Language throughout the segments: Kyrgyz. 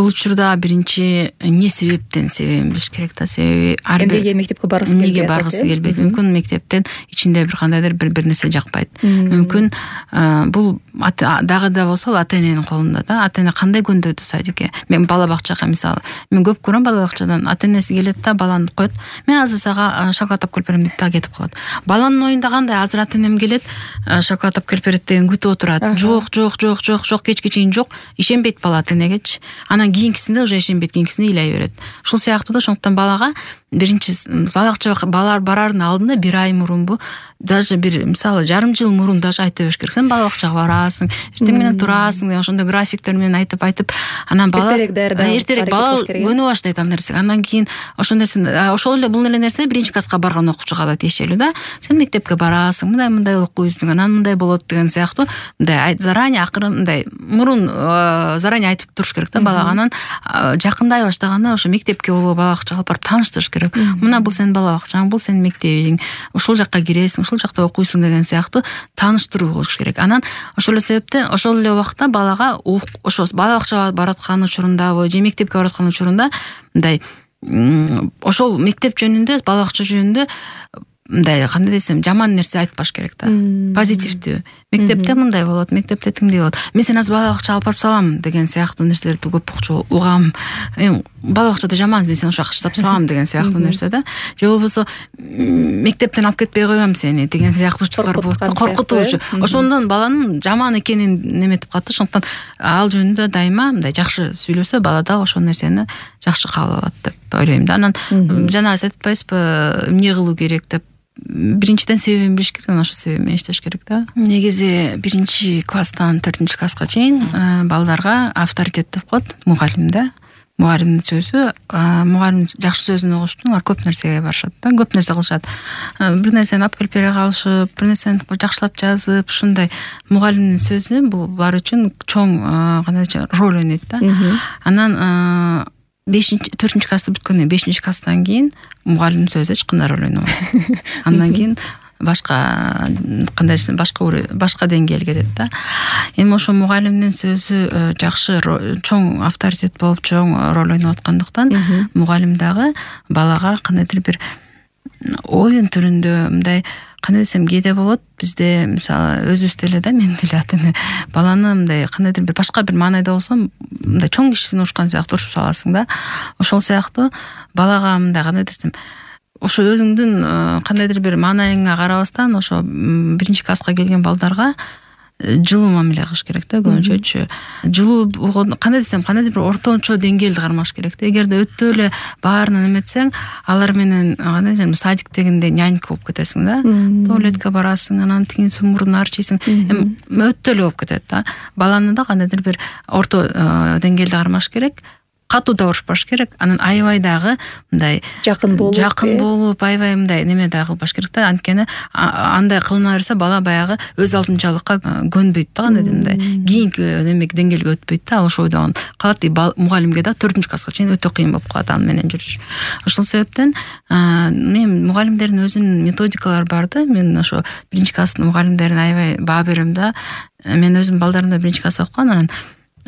бул учурда биринчи эмне себептен билиш керек да. Себеби эмнеге мектепке баргысы келбейт, эмнеге баргысы келбейт. Мүмкүн мектептен ичинде бир кандайдыр бир нерсе жакпайт. Мүмкүн бул дагы да болсо ата эненин колунда да. Ата эне кандай көндөрдү садикке. Мен бала бакчага мисалы, мен көп көрөм бала бакчадан. Ата энеси келет да, баланы коет. Мен азыр сага шоколад алып келип берем деп да кетип калат. Баланын оюнда кандай? Азыр ата энем келет, шоколад алып келип берет деген күтүп отурат. Жок, кечке чейин жок. Ишенбейт бала ата энегечи. Анан кийинкисинде уже ишенбейт, кийинкисине ыйлай берет. Ушул сыяктуу да. Ошондуктан балага биринчи бала бакчага барардын алдында бир ай мурунбу, даже бир мисалы жарым жыл мурун даже айта бериш керек. Сен бала бакчага барасың, эртең менен турасың деген ошондой графиктер менен айтып, анан бала эртерээк бала көнө баштайт ал нерсеге. Андан кийин ошол нерсени ошол эле бул эле нерсе биринчи класска барган окуучуга да тиешелүү да. Сен мектепке барасың, мындай окуйсуң, анан мындай болот деген сыяктуу мындай заранее акырын мындай мурун заранее айтып туруш керек да балага. Анан жакындай баштаганда ошо мектепке болобу бала бакчага алып барып тааныштырыш керек. Мына бул сенин бала бакчаң, бул сенин мектебиң, ушул жакка киресиң, ушул жакта окуйсуң деген сыяктуу тааныштыруу болуш керек. Анан ошол эле себептен ошол эле убакта балага ошо бала бакчага бараткан учурундабы же мектепке бараткан учурунда мындай ошол мектеп жөнүндө, бала бакча жөнүндө мындай кандай десем жаман нерсе айтпаш керек да. Позитивдүү. Мектепте мындай болот, мектепте тиңдей болот. Мен сени азыр бала бакчага алып барып салам деген сыяктуу нерселерди көп угам. Бала бакчада жаман, мен сени ошо жака таштап салам деген сыяктуу нерсе да. Же болбосо мектептен алып кетпей коём сени деген сыяктуучулар болот. Коркутуучу. Ошондон баланын жаман экенин неметип калат. Ошондуктан ал жөнүндө дайыма мындай жакшы сүйлөсө бала да ошол нерсени жакшы кабыл алат деп ойлойм да. Анан жана айтып атпайсызбы, эмне кылуу керек деп. Биринчиден себебин билиш керек, ошол себеп менен иштеш керек да. Негизи биринчи класстан 4 класска чейин балдарга авторитет деп коет мугалим да. Мугалимдин сөзү, мугалим жакшы сөзүн угуш үчүн алар көп нерсеге барышат да, көп нерсе кылышат. Бир нерсени алып келип бере калышып, бир нерсени жакшылап жазып, ушундай мугалимдин сөзү бул булар үчүн чоң кандайча роль ойнойт да. Анан 4 класты бүткөндөн 5 класстан кийин мугалимдин сөзү эч кандай роль ойнобойт. Андан кийин башка кандайсы башка деңгээлге кетет да. Эми ошо мугалимдин сөзү жакшы чоң авторитет болуп чоң роль ойноп аткандыктан мугалим дагы балага кандайдыр бир оюн түрүндө мындай кандай десем кээде болот бизде мисалы өзүбүздө эле да, мен деле ата эне баланы мындай кандайдыр бир башка бир маанайда болсо мындай чоң кишисин урушкан сыяктуу урушуп саласың да. Ошол сыяктуу балага мындай кандай десем ошо өзүңдүн кандайдыр бир маанайыңа карабастан ошо 1 класска келген балдарга жылуу мамиле кылыш керек да, көбүнчөчү. Жылуу кандай десем, кандайдыр бир орточо деңгээлди кармаш керек да. Эгерде өтө эле баарына эметсең, алар менен кандай десем, садиктегиндей нянька болуп кетесиң да. Туалетке барасың, анан тигин мурдун арчыйсың. Өтө эле болуп кетет да. Баланы да кандайдыр бир орто деңгээлди кармаш керек. Катуу да урушпаш керек. Анан аябай дагы мындай жакын болуп, аябай мындай неме да кылбаш керек да. Анткени андай кылына берсе бала баягы өз алдынчалыкка көнбөйт да, кандай мындай кийинки немеге деңгээлге өтпөйт да. Ошол ойдон калат. Мугалимге да 4 класска чейин өтө кыйын болуп калат ал менен жүрүш. Ошол себептен мен мугалимдердин өзүнүн методикалары бар да. Мен ошо 1 класстын мугалимдерине аябай баа берем да. Мен өзүм балдарымды 1 класста окугам, анан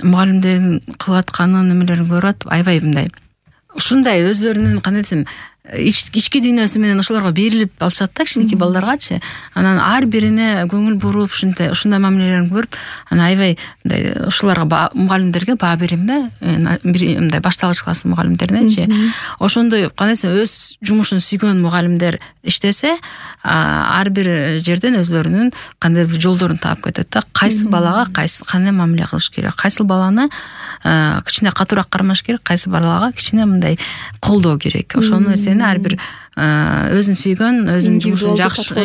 мугалимдердин кылып атканын немелерин көрүп атып аябай мындай ушундай өздөрүнүн кандай десем ички дүйнөсү менен ошолорго берилип алышат да, кичинекей балдаргачы. Анан ар бирине көңүл буруп ушундай мамилелерин көрүп, анан аябай мындай ошолорго мугалимдерге баа берем да. Мындай башталгыч класстын мугалимдеринечи. Ошондой кандай десем өз жумушун сүйгөн мугалимдер иштесе, ар бир жерден өзлөрүнүн кандай бир жолдорун таап кетет да. Кайсы балага кандай мамиле кылыш керек, кайсы баланы кичине катуураак кармаш керек, кайсы балага кичине мындай колдоо керек. Ошону ар бир өзүн сүйгөн, өзүнүн жумушун жакшы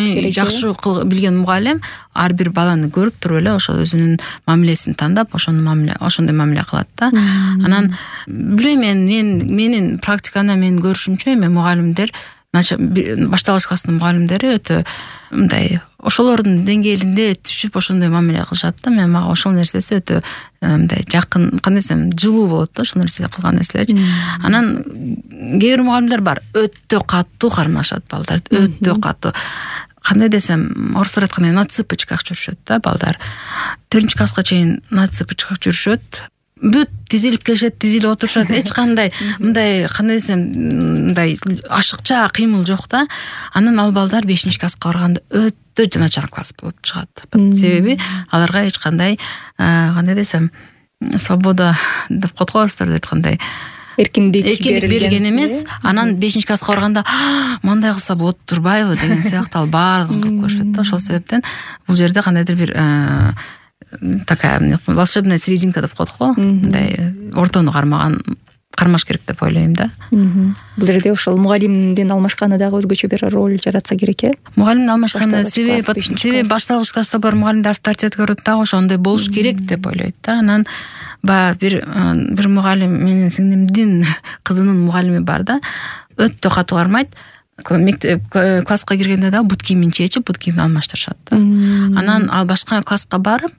билген мугалим ар бир баланы көрүп туруп эле ошол өзүнүн мамилесин тандап, ошондой мамиле кылат да. Анан билбейм, менин практиканы мен көрүшүмчө мугалимдер башталгыч класстын мугалимдери өтө мындай ошолордун деңгээлинде түшүп ошондой мамиле кылышат да. Мен мага ошол нерсеси өтө мындай жакын, кандай десем, жылуу болот да ошол нерсе кылган нерселерчи. Анан кээ бир мугалимдер бар, өтө катуу кармашат балдарды, өтө катуу. Кандай десем, орустар айткандай на цыпочках жүрүшөт да балдар. 4 класска чейин на цыпочках жүрүшөт. бүт тизилип келишет, тизилип отурушат, эч кандай мындай кандай десем мындай ашыкча кыймыл жок да. Анан ал балдар 5-класска барганда өтө начар класс болуп чыгат. Себеби аларга эч кандай кандай десем свобода деп коет го орустар айткандай эркиндик берилген эмес. Анан 5-класска барганда мындай кылса болот турбайбы деген сыяктуу ал баардыгын кылып коюшат да. Ошол себептен бул жерде кандайдыр бир такая волшебная серединка деп коет го. Мындай ортону кармаш керек деп ойлойм да. Бул жерде ошол мугалимдин алмашканы дагы өзгөчө бир роль жаратса керек э. Мугалимдин алмашканы себеби башталгыч класста бар мугалимдер авторитет көрөт дагы ошондой болуш керек деп ойлойт да. Анан бир мугалим менин сиңдимдин кызынын мугалими бар да. Өтө катуу кармайт. Класска киргенде дагы бут кийимин чечип, бут кийимин алмаштырышат да. Анан ал башка класска барып,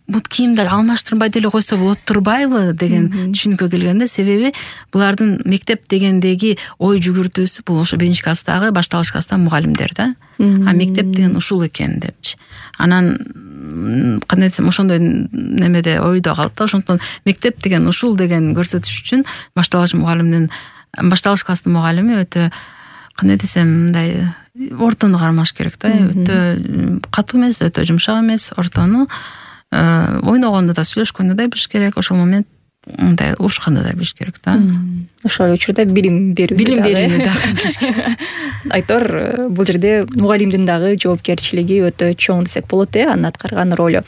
бут кийимди алмаштырбай деле койсо болот турбайбы деген түшүнүккө келгенде, себеби булардын мектеп дегендеги ой жүгүртүүсү бул ошо 5-класстагы, башталгыч класстагы мугалимдер да. Мектеп деген ушул экен депчи. Анан кандай десем ошондой немеде ойдо калат да. Ошондон мектеп деген ушул деген көрсөтүш үчүн башталгыч класстын мугалими өтө кандай десем мындай ортону кармаш керек да. Өтө катуу эмес, өтө жумшак эмес, ортону ойногондо да, сүйлөшкөндө да билиш керек. Ошол момент мындай урушканда да билиш керек да. Ошол учурда билим берүүнү дагы билиш керек. Айтор, бул жерде мугалимдин дагы жоопкерчилиги өтө чоң десек болот анын аткарган ролу.